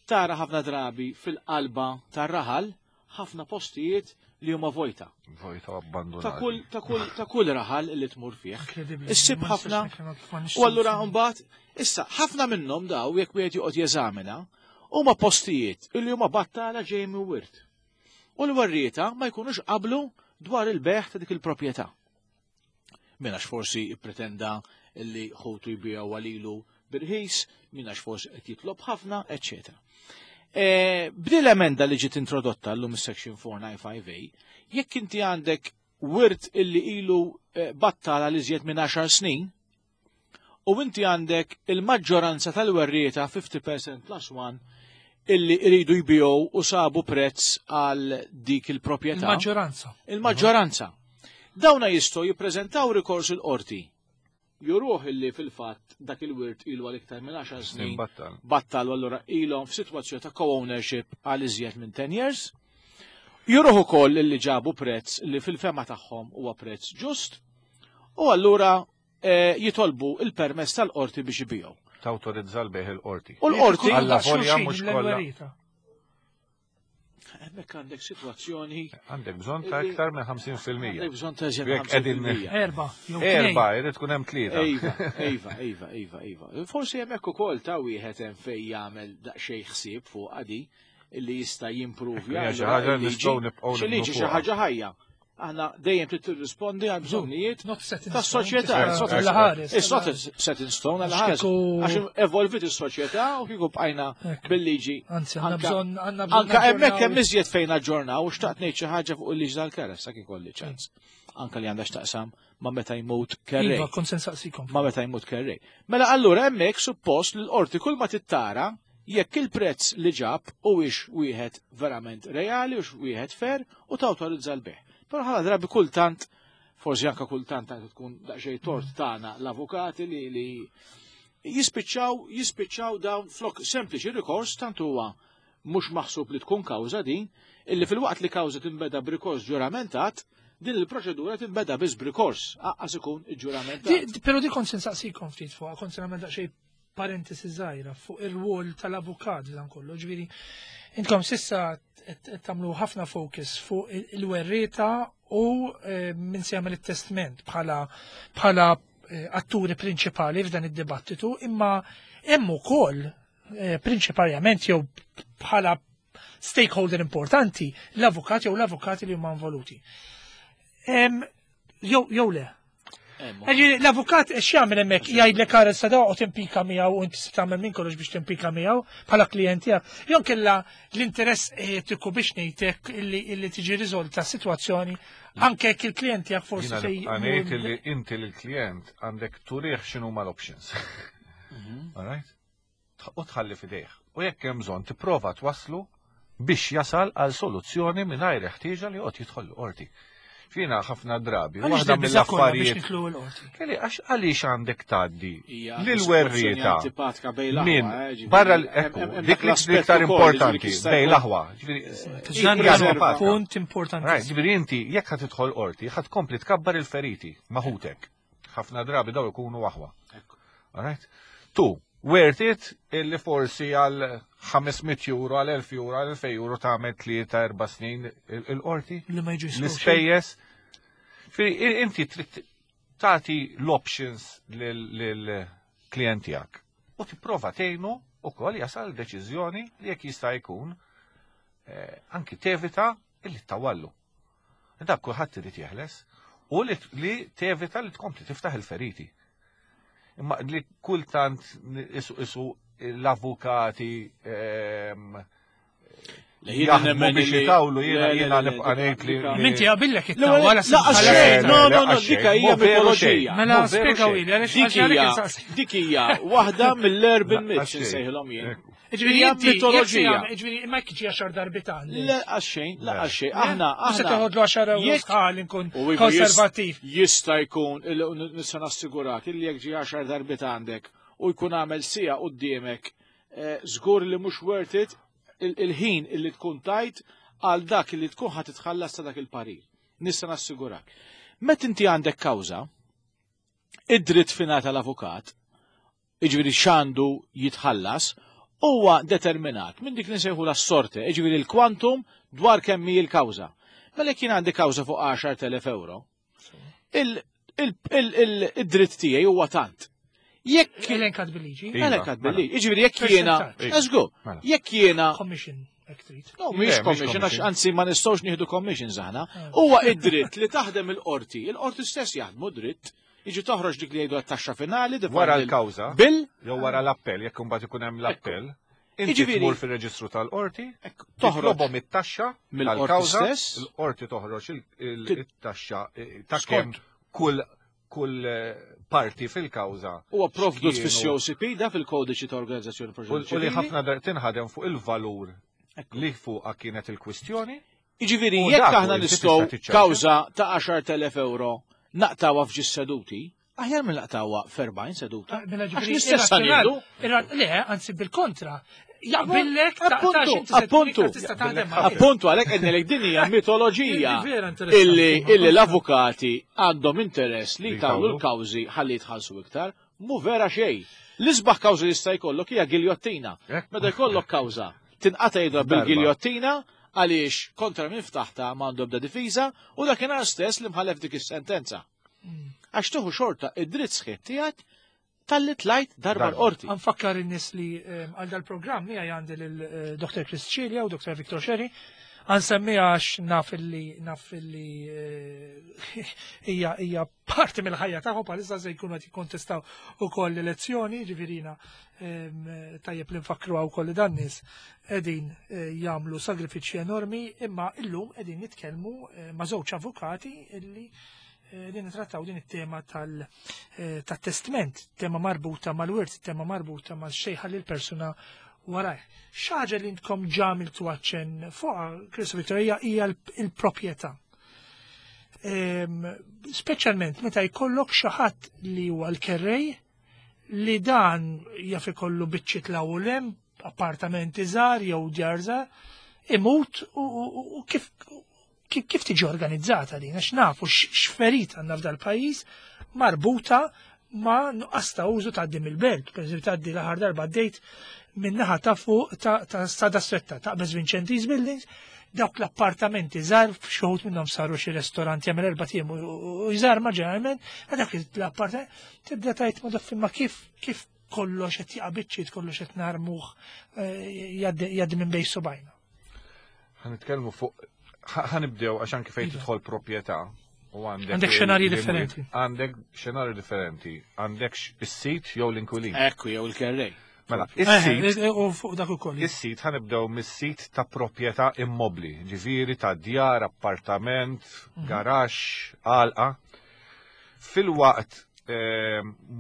tara ħafna drabi fil-qalba tar-raħal ħafna postijiet li huma vojta. Vojta Ta' abbandonati. kull ta' kull ta' kull raħal li tmur fih. Inkredibbli. Issib Ma nistax ħafna nifhem kif ma nixtieqx U allura nifhem. mbagħad issa ħafna minnhom daw jekk wieħed joqgħod jeżamina huma postijiet illi huma battala ġejjin minn wirt. U l-werrieta ma jkunux qablu dwar il-beħ ta' dik il-proprjetà. Min għax forsi ippretenda illi ħutu jbiegħu għalilu birħis, min għax forsi qed jitlob ħafna, eċċetera. E, B'din l-emenda li ġiet introdotta llum is-section 495A, jekk inti għandek wirt illi ilu eh, battala li żjed minn 10 snin, u inti għandek il-maġġoranza tal-werrieta 50% plus 1 illi iridu jbijow u sabu prezz għal dik il-proprjetà. Il-maġġoranza. Il-maġġoranza. Dawna jistgħu jippreżentaw rikors il-qorti. Juruh illi fil-fatt dak il-wirt ilu għal iktar minn 10 Snin snin battal. battal u allura ilhom f'sitwazzjoni ta' co-ownership għal iżjed minn 10 years. Juruh ukoll illi ġabu prezz li fil-fema tagħhom huwa prezz ġust u allura eh, jitolbu il-permess tal-qorti biex ibijaw. Tawtorizza l-bejħ il-qorti. U l-qorti Alla Xulxin, volja mhux kollha. l-werrieta. hemmhekk għandek sitwazzjoni Għandek bżonn ta' iktar minn 50%. għandek bżonn ta' iżjed Jekk qegħdin- 50%. Erba. jew tnejn. Erba, jrid tkun hemm tlieta. Ejva, ejva, ejva, ejva, ejva. Forsi hemmhekk ukoll ta' wieħed hemm fejn jagħmel daqsxejn ħsieb fuq għadi, illi jista' jimpruvja. Hija xi ħaġa li nistgħu nibqgħu Xi liġi xi ħaġa ħajja. Aħna dejjem trid tirrispondi għal bżonnijiet tas-soċjetà. It's not set in stone għal ħares. Għax evolvit is-soċjetà u kieku bqajna bil-liġi. Anzi, għandna bżonn għandna bżonn. Anka hemmhekk hemm iżjed fejn aġġornaw u xtaqt ngħid xi ħaġa fuq il-liġi tal-keres sa ikolli ċans. Anka li għandha x'taqsam ma' meta jmut kerrej. Iva, kont se nsaqsikom. Ma' meta jmut kerrej. Mela allura hemmhekk suppost li l-qorti kull ma tittara jekk il-prezz li ġab huwiex wieħed verament reali u wieħed fair u tawtorizza l-bejgħ. Però ħafna drabi kultant, forsi anka kultant anke tkun daqsxejn tort tagħna l-avukati li, li jispiċċaw jispiċċaw dawn flok sempliċi rikors tant huwa mhux maħsub li tkun kawża din, illi filwaqt li kawża tinbeda b'rikors ġuramentat, din il-proċedura tinbeda biss b'rikors, aqqas ikun iġġuramentat. Però di kont se nsaqsikom ftit fuq, kont se nagħmel daqsxejn parentesi żgħira fuq ir-rwol tal-avukat dan kollu. Ġifieri, intkom sissa qed tagħmlu ħafna focus fuq il-werrieta u eh, min se jagħmel it-testment bħala bħala eh, atturi prinċipali f'dan id-dibattitu, imma hemm ukoll eh, prinċiparjament jew bħala stakeholder importanti l-avukat jew l-avukati li huma involuti. Jew jew le. L-avukat x'jagħmel hemmhekk jgħidlek ara sa u timpika miegħu u inti se tagħmel minn kollox biex timpika miegħu bħala klijent tiegħek. Jew kella l-interess etiku biex ngħidlek illi tiġi riżolta sitwazzjoni anke jekk il-klijent tiegħek forsi se ngħid illi inti lill-klijent għandek turih x'inhuma l-options. Mhm. All right? U tħalli f'idejh. U jekk hemm bżonn tipprova twasslu biex jasal għal soluzzjoni mingħajr ħtieġa li joqgħod jidħol l-qorti. Fina ħafna drabi, waħda mill-affarijiet. Kelli għax għaliex għandek tgħaddi lil werrieta minn eh, barra l-ekku, dik l-iktar importanti bejn l-aħwa. Punt importanti. Ġifieri inti jekk ħad tidħol qorti, ħad tkompli tkabbar il-feriti maħutek. Ħafna drabi daw ikunu aħwa. Alright? Tu, worth it illi forsi għal 500 euro, għal 1000 euro, għal 2000 euro tagħmel tlieta erba' snin il-qorti. Li ma jiġu L-ispejjeż. Inti trid tagħti l-options lill-klient tiegħek. U tipprova tgħinu ukoll jasal deċiżjoni li jekk jista' jkun eh, anki tevita illi tawallu. Dak kulħadd irid jeħles u li tevita li tkompli tiftaħ il-feriti. Imma li kultant isu isu l-avukati ehm, jaħdmu biex jitawlu jiena jiena nibqa' ngħid li. Minti għabillek it-tawla. No, no, no, dika hija mitoloġija. Mela spjegaw ili għaliex dik hija waħda mill-urban myths insejħilhom jien. Ġifieri inti mitoloġija. Ġifieri ma jekk ġi għaxar darbit għandi. Le għaxxejn, le għaxxejn. Aħna aħna. Se toħodlu għaxar euro sħal inkun konservattiv. Jista' jkun nista' nassigurak illi jekk ġi għaxar darbit għandek u jkun għamel sija quddiemek eh, żgur li mhux worth it il-ħin illi tkun tajt għal dak li tkun ħad titħallas ta' dak il-parir. Nista' nassigurak. Met inti għandek kawża, id-dritt finata tal-avukat, jiġifieri x'għandu jitħallas, huwa determinat minn dik li nsejħulha s-sorte, jiġifieri l-kwantum dwar kemm hi l-kawża. Mela jekk jien għandi kawża fuq 10,000 euro, id-dritt tiegħi huwa tant. Jekk elenkat bil-liġi. Iva, Elenkat mela. bil-liġi. Jiġifieri jekk jiena, Iva. żgur, Mela. jekk jiena Commission, jekk trid. No, mhix Le, mhix commission, għax commission. anzi ma nistgħux nieħdu commissions aħna. Ah. Huwa id-dritt li taħdem il-qorti, il-qorti stess jaħdmu dritt, jiġi toħroġ dik li jgħidu għat-taxxa finali, Wara l-kawża, Bil, jew wara l-appell, jekk imbagħad ikun hemm l-appell, inti Jiġifieri- tmur fir-reġistru tal-qorti, toħroġ toħrobhom it-taxxa mill-qorti tal-kawża, stess. il-qorti toħroġ it-taxxa eh, ta' Skont. kemm kull kull eh, parti fil-kawża. Huwa provdut x'kienu- fis-COCP da fil-kodiċi ta' organizzazzjoni U u li proċedurali. ħafna dar tinħadem fuq il-valur li fuqha kienet il-kwistjoni. Jiġifieri U jekk dak aħna u inti nistgħu tista' tiċċarġa. kawża ta' 10,000 euro naqtawha f'ġis seduti, aħjar minn naqtawha f'40 seduta. Ah, Mela Għax ġifieri l-istess irrazzjonal- ħanieħdu. irra- Le, anzi bil-kontra. Jaqbillek ta' Appuntu, ta' x'inti se appuntu. tista' taħdem ma' Appuntu għalhekk qed ngħidlek din hija mitoloġija Vera interessanti. illi illi l-avukati għandhom interess li Li jtawlu jtawlu. l-kawżi ħalli jitħallsu iktar, mu vera xejn. L-isbaħ kawża li jista' jkollok hija giljottina. Ekku. Meta jkollok kawża tinqata' jidra Darba. bil-giljottina għaliex kontra minn ftaħta m'għandu ebda difiża u dakinhar stess li mħallef dik is-sentenza. Għax tuħu xorta id-dritt sħiħ tiegħek Talli tlajt darba l-qorti. Ħa nfakkar in-nies li għal dal-programm miegħi għandi lil Dr. Chris Cilia u Dr. Victor Scerri. Ħa nsemmiha għax naf illi hija parti mill-ħajja tagħhom, bħalissa se jkunu qed jikkontestaw ukoll l-elezzjoni, ġifieri tajjeb li nfakru wkoll li dan nies qegħdin jagħmlu sagrifiċċji enormi, imma illum qegħdin nitkellmu ma' żewġ avukati illi li nitrattaw din it-tema tal-testment, tema marbuta mal-wirt, tema marbuta mal-xejħa li l-persuna warajh. Xi ħaġa li intkom ġa għamiltu aċċenn fuqha, Chris Victor, hija l-proprjetà. Speċjalment meta jkollok xi ħadd li huwa l-kerrej, li dan jaf ikollu biċċiet l appartamenti żgħar jew djar żgħar, imut u kif tiġi organizzata din, għax nafu x'ferit għandna f'dal pajjiż marbuta ma' nuqqas ta' użu ta' dim il-belt. Per eżempju, tgħaddi, l-aħħar darba għaddejt min-naħa ta' fuq ta' Strada Stretta, ta' Vincenti's Buildings, dawk l-appartamenti żgħar, xi wħud minnhom saru xi ristoranti, jagħmel 4 ijiem u jżarma ġeneralment, ma dak l-appartament tibda tgħid ma daf ma kif kollox qed jaqa' biċċiet, kollox qed narmuh jgħaddi minn bejn subgħajna. Ħa nitkellmu fuq, ħa nibdew għax anke fejn tidħol proprjetà u għandek Għandek xenarji differenti. Għandek xenarju differenti. Għandek is-sid jew l-inkwilin. Ekku, jew il-kerrej. Mela, is-sid U fuq dak ukoll. Is-sid, ħa nibdew mis-sid ta' proprjetà immobli, ġifieri ta' djar, appartament, garaxx, għalqa. Fil-waqt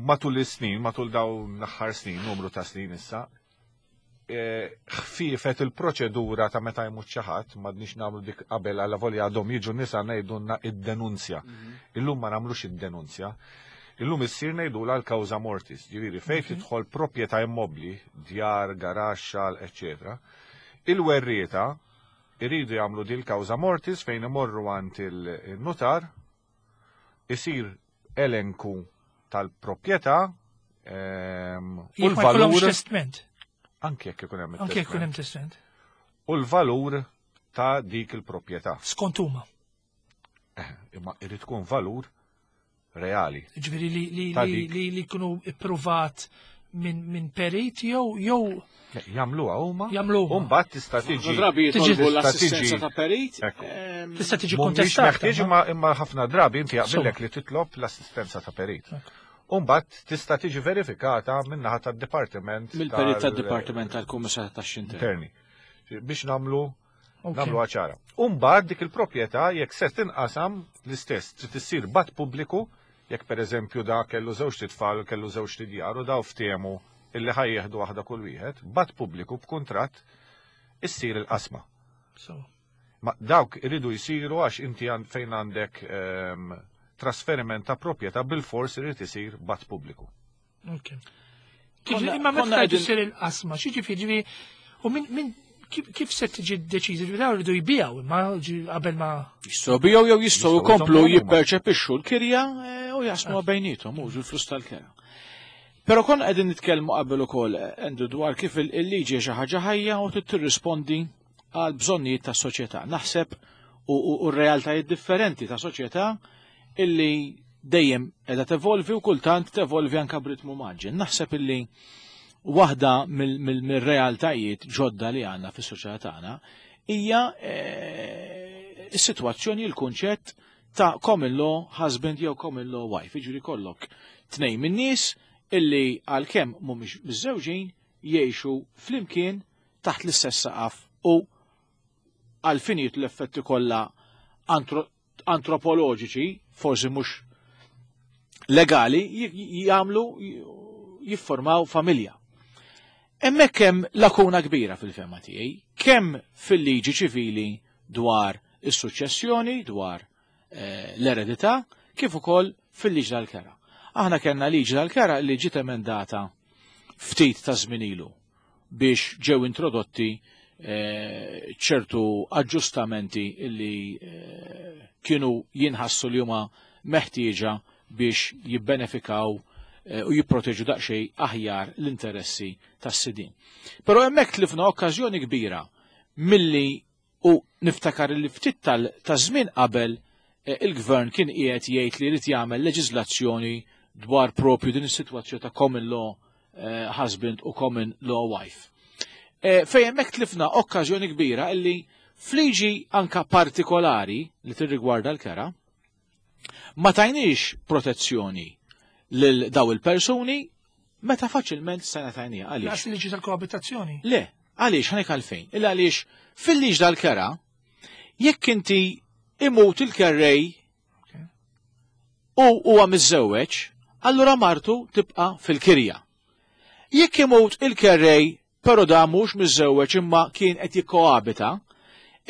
matul is-snin, matul dawn l-aħħar snin, numru ta' snin issa, ħfifet il-proċedura ta' meta jmut xi ħadd, m'għadniex nagħmlu dik qabel, għalla volja għadhom jiġu nisa ngħidulna id-denunzja. Illum ma nagħmlux id-denunzja. Illum issir ngħidulha l-causa mortis, ġifieri fejn tidħol proprjetà immobli, djar, garaxx, eccetera. Il-werrieta iridu jagħmlu dil causa mortis fejn imorru għand il-notar, isir elenku tal-proprjetà u Jekk ma jkollhomx l-valur testment. Anke jekk ikun hemm Anke jekk ikun hemm it-testment. testment. U l-valur ta' dik il-proprjetà. Skont huma. Imma irid tkun valur reali. Ġifieri li Ta' li dik. li jkunu ippruvat minn perit jew Le, jagħmluha huma. Jagħmluha. U mbagħad tista' tiġi Drabi Tiġi- jitolbu tista' l-assistenza tiġi- ta' perit. Ekku. Tista' tiġi Mhumiex kontestata. meħtieġ no? imma ħafna drabi inti jaqbillek Insomma. li titlob l-assistenza ta' perit. Ekku. U mbagħad tista' tiġi verifikata min-naħa tad-dipartiment Mill-perit tad-Dipartiment tal-Kummissar tax-Xinter. Interni. Biex nagħmlu nagħmlu ċara. U mbagħad dik il-proprjetà, jekk se tinqasam, l-istess trid issir b'att pubbliku, jekk pereżempju da kellu żewġ tfal, kellu żewġ djar u daw ftehmu illi ħa jieħdu waħda kull wieħed, b'att pubbliku b'kuntratt issir il-qasma. So. Ma dawk iridu jsiru għax inti fejn għandek trasferiment ta' proprjetà bil-fors irid isir b'att pubbliku. Ok. Imma meta Konna tgħidu qegħdin- ssir il-qasma, xi ġifieri u min kif se tiġi deċiżi? Ġifieri dawn iridu jbijaw imma qabel ma Jistgħu bijaw jew jistgħu Jistgħu jkomplu jżommu huma. jipperċepixxu l-kirja u jaqsmu bejniethom mhux il-flus tal-kera. Però konna qegħdin nitkellmu qabel ukoll, Andrew, dwar kif il-liġi xi ħaġa ħajja u trid tirrispondi għal bżonnijiet tas-soċjetà. Naħseb u r-realtajiet differenti ta' soċjetà illi dejjem qiegħda tevolvi u kultant tevolvi anke b'ritmu mgħaġġel. Naħseb illi waħda mill-realtajiet ġodda li għandna fis-soċjetà tagħna hija is-sitwazzjoni, il-kunċett ta' common law husband jew common law wife. Jiġifieri kollok tnejn min-nies illi għalkemm mhumiex miżżewġin jgħixu flimkien taħt l-istess saqaf u għal finijiet l-effetti kollha antropoloġiċi, forsi mhux legali, jagħmlu jiffurmaw familja. Hemmhekk hemm lakuna kbira fil-fehma tiegħi, kemm fil-liġi ċivili dwar is-suċċessjoni, dwar l-eredità, kif ukoll fil-liġi tal-kera. Aħna kellna liġi tal-kera li ġiet emendata ftit ta' żmien ilu biex ġew introdotti ċertu aġġustamenti illi kienu jinħassu li huma meħtieġa biex jibbenefikaw u jipproteġu daqsxejn aħjar l-interessi tas-sidin. Però hemmhekk tlifna okkażjoni kbira milli u niftakar li ftit ta' żmien qabel il-gvern kien qiegħed jgħid li jrid jagħmel leġiżlazzjoni dwar propju din is-sitwazzjoni ta' common law eh, husband u common law wife. Eh, fejn hemmhekk tlifna okkażjoni kbira illi fliġi anka partikolari li tirrigwarda l-kera, ma tajniex protezzjoni lil daw il-persuni meta faċilment stajna tajnija. Għaliex? Laqas il-liġi tal-koabitazzjoni. Le, għaliex ħanek għalfejn. Illa għaliex fil-liġ dal-kera, jekk inti imut il-kerrej u huwa miżżewweġ, allura martu tibqa' fil-kirja. Jekk imut il-kerrej però da mhux miżżewweġ imma kien qed jikkoabita,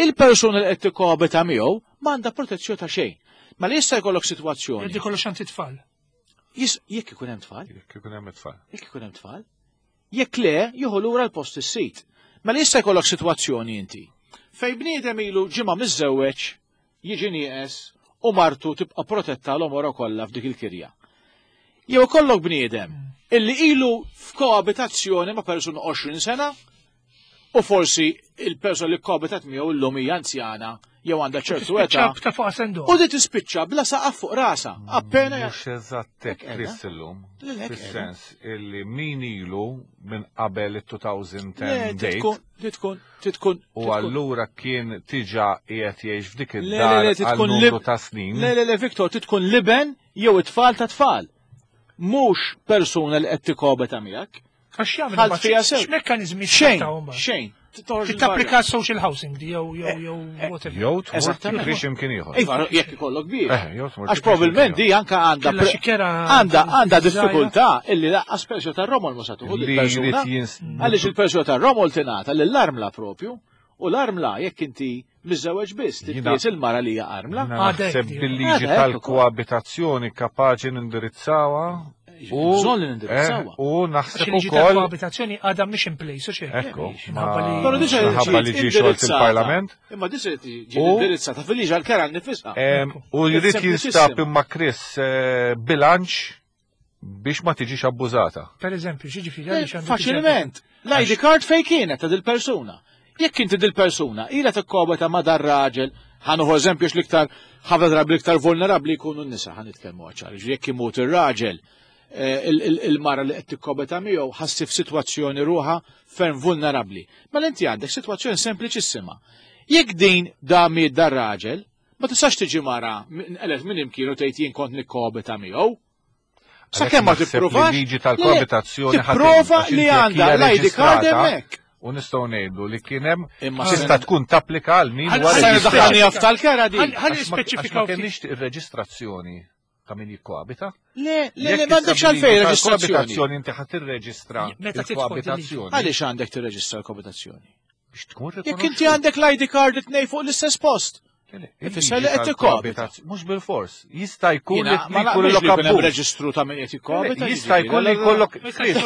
il-persuna li qed tikkoabita miegħu m'għandha protezzjoni ta' xejn. Ma li jista' jkollok sitwazzjoni. Jekk ikollu xanti tfal. Jekk ikun hemm tfal. Jekk ikun hemm tfal. Jekk ikun hemm tfal. Jekk le, jieħu lura l-post is-sit. Mela jista' jkollok sitwazzjoni inti. Fej bniedem ilu ġimgħa miżżewweġ jiġi nieqes u martu tibqa' protetta l-omora kollha f'dik il-kirja. Jew ikollok bniedem illi ilu f'koabitazzjoni ma' persuna 20 sena u forsi il-persuna li koabitat miegħu illum hija anzjana jew għandha ċertu età. Ta' fuq sendu. U di tispiċċa bla saqaf fuq rasa. Appena Mhux eżatt hekk Chris illum. Fis-sens illi min ilu minn qabel it-2010 date. Titkun, titkun. U allura kien tiġa qiegħed jgħix f'dik id-dar għal numru ta' snin. Le, le, le, Viktor, titkun liben jew it-tfal ta' tfal. Mhux persuna li qed tikobeta miegħek. Għax jagħmlu fiha sew. X'mekkaniżmi xejn, xejn. Tapplika social housing di jew jew jew eh, whatever. Jew tmur biex imkien ieħor. Iva, jekk ikollok biex. Eh, Għax probabbilment di anka għandha għandha għandha diffikultà illi laqqas persju tar-romol ma sa tuħu persuna. Għaliex il-persju tar-romol tingħata lill-armla propju u l-armla jekk inti miżżewweġ biss, titqies il-mara li hija armla. Naħseb bil-liġi tal-koabitazzjoni kapaċi nindirizzawha. U bżonn li nindirizzawha. Eh, u naħseb ukoll. tal-koabitazzjoni għadha mhix in place, u xejn. Ekku. Però diġà li ġie xogħol il-Parlament. Imma diġà ġie indirizzata fil-liġi għall-kera nifisha. U jrid jinstab imma Chris eh, bilanċ biex ma tiġix abbużata. Per eżempju, xiġifieri għaliex għandu. Faċilment, l-ID card fej kienet ta' dil-persuna. Jekk inti dil-persuna ilha tikkobeta ma' dar raġel, ħanuħu eżempju l-iktar ħafna drabi l-iktar vulnerabbli jkunu n-nisa, ħa nitkellmu ċar, jekk imut ir-raġel, eh, il-mara li qed tikkobeta miegħu ħassi f'sitwazzjoni ruħa ferm vulnerabbli. Mela inti għandek sitwazzjoni sempliċissima. Jekk din da miet dar raġel, Ma tistax tiġi mara nqelet minn imkien u tgħid jien kont nikkobita miegħu. Sakemm ma tippruvax. Liġi tal-koabitazzjoni tipprova li għandha l-ID card hemmhekk. U nistgħu ngħidu li kien hemm tista' tkun tapplika għal min wara. Daħħalni tal-kera di. Ħalli nispeċifikaw. Ma kenniex ir-reġistrazzjoni ta' min jikkoabita. Le, le, le, m'għandekx għalfejn reġistrazzjoni. Koabitazzjoni inti ħadd tirreġistra l-koabitazzjoni. Għaliex għandek tirreġistra l-koabitazzjoni? Biex tkun Jekk inti għandek l-ID card it-tnej fuq l-istess post. Ifisser li qed tikkoabita. Mhux bil-fors. Jista' jkun li jkollok abbuż. Reġistru ta' min qed jikkoabita. Jista' jkun li jkollok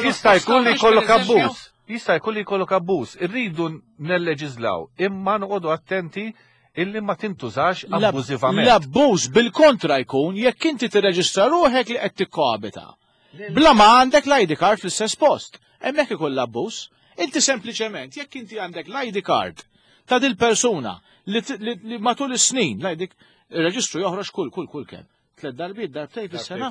jista' jkun li jkollok abbuż. Jista' jkun li jkollok abbuż. Irridu nelleġiżlaw imma noqogħdu attenti illi ma tintużax abbużivament. L-abbuż bil-kontra jkun jekk inti tirreġistra ruħek li qed tikkoabita. Bla ma għandek l-ID card fl-istess post. Hemmhekk ikun l-abbuż. Inti sempliċement jekk inti għandek l-ID card ta' dil persuna li, li, li matul is-snin l-ID il-reġistru joħroġ kull kull kull kemm. Tlet darbiet, darbtej fis-sena.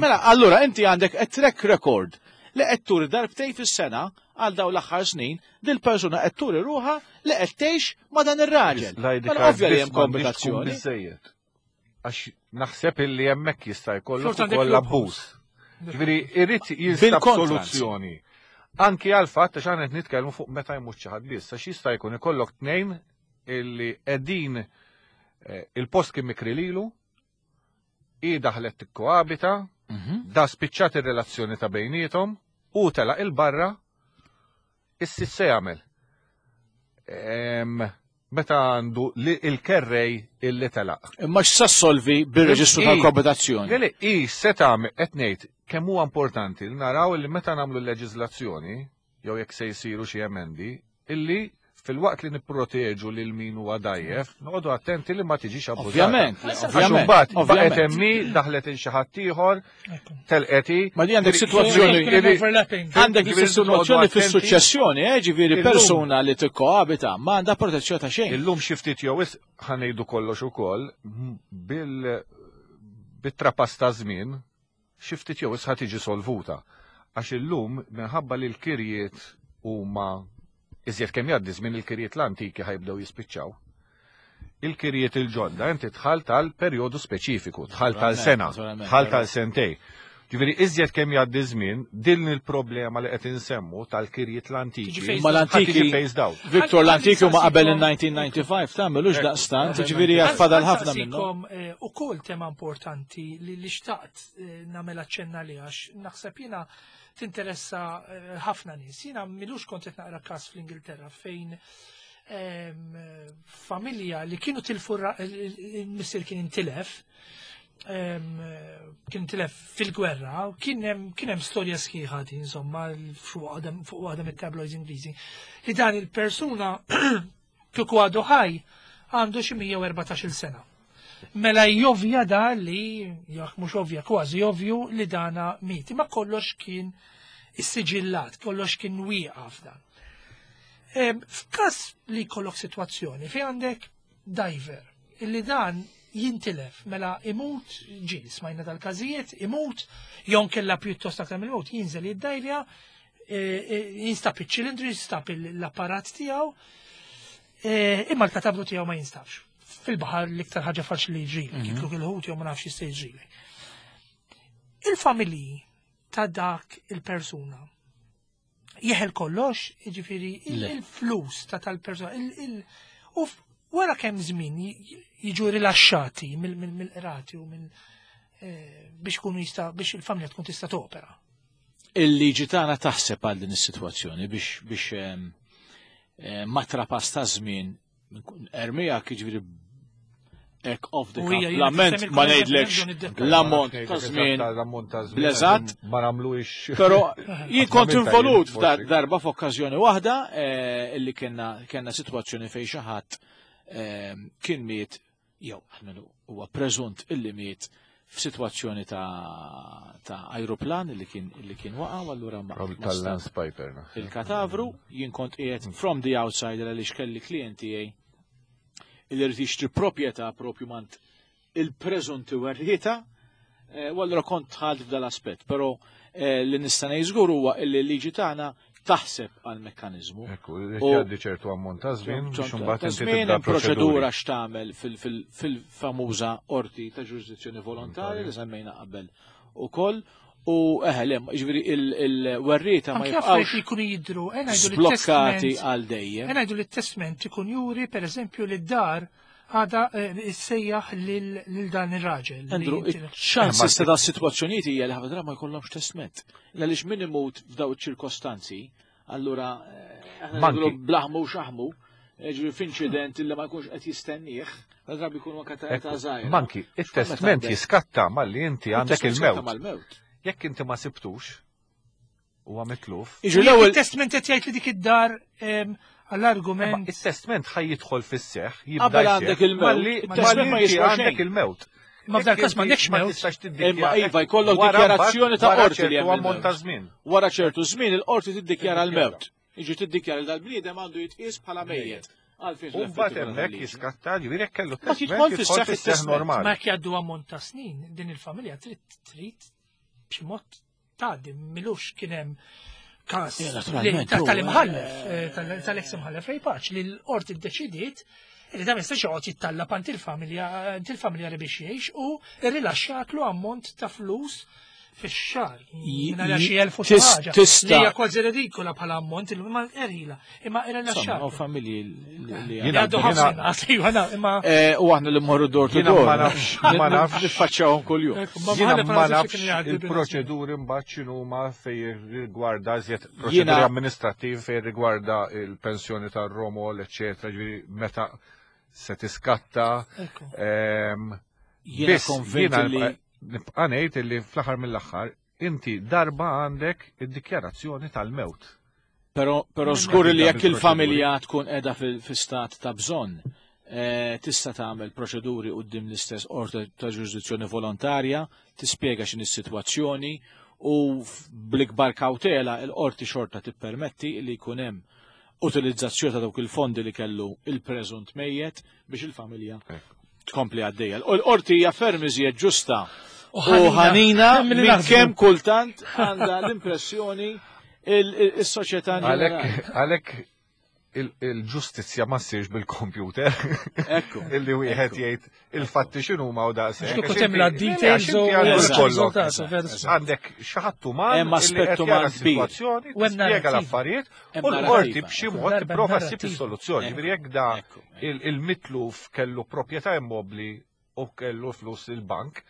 Mela, allura inti għandek a track record li qed turi darbtej fis-sena għal dawn l-aħħar snin dil persuna qed turi ruħha li qed tgħix ma' dan ir-raġel. Mela ovvja li hemm kombinazzjoni. Għax naħseb illi hemmhekk jista' jkollok ukoll abbuż. Ġifieri irid jinstab soluzzjoni. Anki għal fatt għax aħna qed nitkellmu fuq meta jmut xi ħadd biss, għax jista' jkun ikollok tnejn illi qegħdin eh, il-post kien mikri lilu, i daħlet tikkoabita, mhm. da spiċċat ir-relazzjoni ta' bejnietom, u telaq il-barra, issi se jagħmel. Meta għandu li il-kerrej illi telaq. Imma x'sa solvi bir-reġistru tal-koabitazzjoni? Le, i se tagħmel qed ngħid kemm huwa importanti li naraw li meta nagħmlu l-leġiżlazzjoni jew jekk se jsiru xi emendi, illi filwaqt li nipproteġu lil min huwa dajjef, noqogħdu attenti li ma tiġix abbużata. Ovvjament, ovvjament. Mbagħad baqgħet hemmi daħlet il xi ħadd ieħor, telqeti. Ma di għandek sitwazzjoni għandek sitwazzjoni fis-suċċessjoni, eh, ġifieri persuna li tikkoabita ma għandha protezzjoni ta' xejn. Illum xi ftit jew ħanejdu kollox ukoll bil bit-trapass ta' żmien. Xi ftit jew wisq ħa tiġi solvuta. Għax illum minħabba li l-kirjiet huma iżjed kemm jgħaddi żmien il-kirjiet l-antiki ħa jibdew jispiċċaw. Il-kirjiet il-ġodda inti dħalt għal perjodu speċifiku, dħalt għal sena, dħalt għal sentej. Ġifieri iżjed kemm jgħaddi żmien, din il-problema li qed insemmu tal-kirjiet l-antiki. Ma l-antiki phased out. Victor, l-antiki huma qabel il-1995 tagħmel hux daqstant, ġifieri fadal ħafna minnhom. Ukoll tema importanti li xtaqt nagħmel aċċenna li għax naħseb jiena tinteressa ħafna nies. Jiena milux kont qed naqra każ fl-Ingilterra fejn familja li kienu tilfu il-missier kien intilef kien tilef fil-gwerra, u kien hemm storja sħiħa din insomma fuq waħda mit-tabloids Ingliżi li dan il-persuna kieku għadu ħaj għandu xi 114 sena. Mela jovja da li, jekk mhux ovvja, kważi ovvju li dana miet. Ma kollox kien issiġillat, kollox kien wieqaf dan. F'każ li jkollok sitwazzjoni fejn għandek diver, illi dan jintilef, mela imut, ġi, smajna dal-każijiet, imut, jew kella pjuttost aktar mill-mut, jinżel jiddajvja, jinstab iċ-ċilindru, jinstab l-apparat tiegħu, imma l-katabru tiegħu ma jinstabx. Fil-baħar l-iktar ħaġa faċli li jiġrilek, jikluk il-ħut jew ma nafx jista' jiġrilek. Il-familji ta' dak il-persuna jeħel kollox, jiġifieri il-flus ta' tal-persuna, u wara kemm żmien jiġu rilaxxati mill-qrati u mill biex kunu jista' biex il-familja tkun tista' topera. Il-liġi tagħna taħseb għal din is-sitwazzjoni biex ma trapass ta' żmien ermija jiġifieri hekk off the cuff. Lament ma ngħidlekx l-ammont ta' żmien bleżatt. Ma nagħmluhiex. Però jien kont involut darba f'okkażjoni waħda illi kellna sitwazzjoni fejn xi ħadd kien miet jew almenu huwa preżunt illi miet f'sitwazzjoni ta' aeroplan illi kien waqa' u allura ma tal-Lance Piper. Il-katavru jien kont qiegħed from the outside għaliex kelli klijenti tiegħi illi rrid jixtri proprjetà propju mant il-preżunti werrieta, u allura kont dħalt f'dal-aspett, però li nista' ngħid żgur huwa illi l-liġi tagħna taħseb għal mekkaniżmu. Ekku, jgħaddi ċertu ammont ta' żmien biex imbagħad inti tibda proċedura x'tagħmel fil-famuża qorti ta' ġurisdizzjoni volontarja li semmejna qabel ukoll. U le, jiġifieri il-werrieta ma jibqgħux jkunu jidhru, sblokkati għal dejjem. Ngħidu li t-testment ikun juri pereżempju li d-dar għada issejjaħ lil dan ir-raġel. Andrew, ċ-ċansi ta' sitwazzjonijiet hija li ħafna drabi ma jkollhomx testment. Għaliex min imut f'daw iċ-ċirkostanzi, allura aħna blaħmu u xaħmu, ġifieri f'inċident illi ma jkunx qed jistennieh, drabi jkunu anke ta' età żgħira. Manki, it-testment jiskatta malli inti għandek il-mewt. Jekk inti ma sibtux, huwa mitluf. Iġu l-ewwel testment qed jgħid li dik id-dar għall-argument. It-testment ħaj jidħol fis-seħħ, jibda għandek il-mewt. Il-testment ma jiswa għandek il-mewt. Ma f'dal każ m'għandekx mewt. Imma iva jkollok dikjarazzjoni ta' qorti li hemm ammont ta' żmien. Wara ċertu żmien il-qorti tiddikjara l-mewt. Iġi tiddikjara li dal-bniedem għandu jitqies bħala mejjet. U mbagħad hemmhekk jiskatta ġifieri jekk kellu testment jidħol fis-seħħ normali. Ma jekk jgħaddu ammont ta' snin din il-familja trid trid b'xi mod tgħaddi milux kien hemm każ tal-imħallef, tal-ex imħallef Ray Pace li l-qorti ddeċidiet li dan jistax joqgħod jittallab għand il-familja il-familja li biex jgħix u rrilaxxatlu ammont ta' flus fix-xahar. Minn xi elf u xi ħaġa. Tista' Hija kważi redikola bħala ammont imma erħila, imma irrilaxxat. U familji li għaddu ħafna imma U aħna li mmorru door to door. Ma nafx, ma nafx. Niffaċċjahom kuljum. Jiena ma nafx il-proċeduri mbagħad x'inhuma fejn rigwarda iżjed proċeduri amministrattivi fejn rigwarda il-pensjoni tar-romol, eċċetera, ġifieri meta se tiskatta. Jiena konvint li nibqa' ngħid li fl-aħħar mill-aħħar inti darba għandek id-dikjarazzjoni tal-mewt. Però żgur li jekk il-familja tkun qiegħda fi stat ta' bżonn, tista' tagħmel proċeduri quddiem l-istess qorti ta' ġurisdizzjoni volontarja, tispjega x'inhi s-sitwazzjoni u bl-ikbar kawtela l-qorti xorta tippermetti li jkun hemm utilizzazzjoni ta' dawk il-fondi li kellu il-preżunt mejjet biex il-familja tkompli għaddejja. U l-qorti hija ferm iżjed ġusta. u ħanina minn kemm kultant għandha l-impressjoni il-soċjetà. Għalhekk il-ġustizzja ma ssirx bil-kompjuter. Ekku. Illi wieħed jgħid il-fatti x'inhuma u daqshekk. Kieku temla details u Għandek xi ħadd uman Hemm aspett uman kbir. Sitwazzjoni, tispjega l-affarijiet u l-qorti b'xi mod tipprova ssib is-soluzzjoni. Ġifieri jekk da il-mitluf kellu proprjetà immobbli u kellu flus il-bank,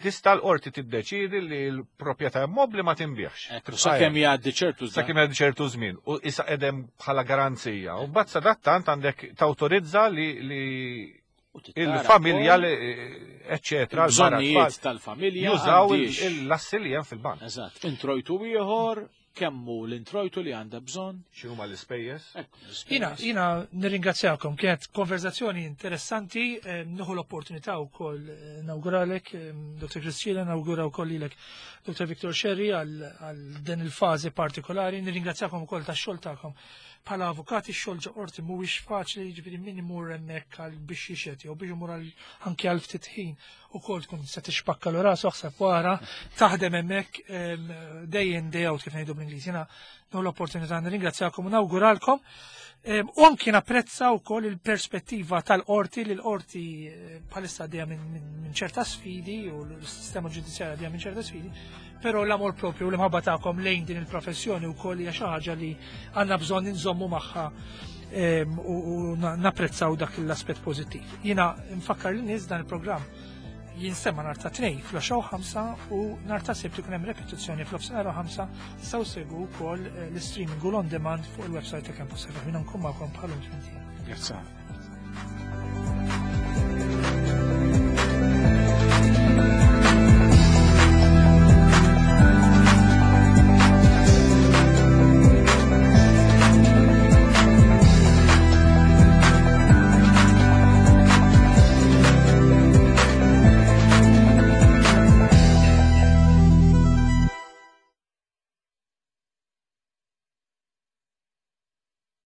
tista' l-qorti tiddeċiedi li l-proprjetà immobbli ma tinbiegħx. Ekku, sakemm jgħaddi ċertu żmien. Sakemm jgħaddi ċertu żmien u issa qegħdem bħala garanzija. U mbagħad sadattant għandek tawtorizza li il-familja li eċċetera. Bżonnijiet tal-familja. Jużaw l-assi li hemm fil-bank. Eżatt. Introjtu ieħor, kemm hu l-introjtu li għandha bżonn. X'inhuma l-ispejjeż? Jiena, jiena nirringrazzjakom, kienet konverzazzjoni interessanti, nieħu l-opportunità wkoll nawguralek, Dr. Criscilla, nawgura wkoll lilek Dr. Victor Scerri għal din il-fażi partikolari, nirringrazzjakom ukoll tax-xogħol tagħkom. Bħala avukati x-xogħol ġo qorti mhuwiex faċli, jiġifieri min imur hemmhekk għal biex jixhed jew biex imur anke għal ftit ħin ukoll tkun se tixpakkalu rasu aħseb wara taħdem hemmhekk day in day out kif ngħidu bl-Ingliż. Jiena nieħu l-opportunità nirringrazzjakom u nawguralkom. U anki napprezza wkoll il-perspettiva tal-qorti li l-qorti eh, bħalissa għaddejja minn ċerta sfidi u l-sistema ġudizzjarja għaddejja minn ċerta sfidi, però l-amor propju u l-imħabba tagħkom lejn din il-professjoni wkoll hija xi ħaġa li għandna bżonn inżommu magħha u napprezzaw dak l-aspett pożittiv. Jiena nfakkar lin-nies dan il-programm jinsema nhar ta' Tnejn fl-10:05 u nhar ta' Sibt ikun hemm repetizzjoni fl-ofsinhar u 5 tistgħu segwu wkoll eh, l-streaming u l-on demand fuq il-website ta' Campus FM. Jiena nkun magħkom bħalhom Grazzi.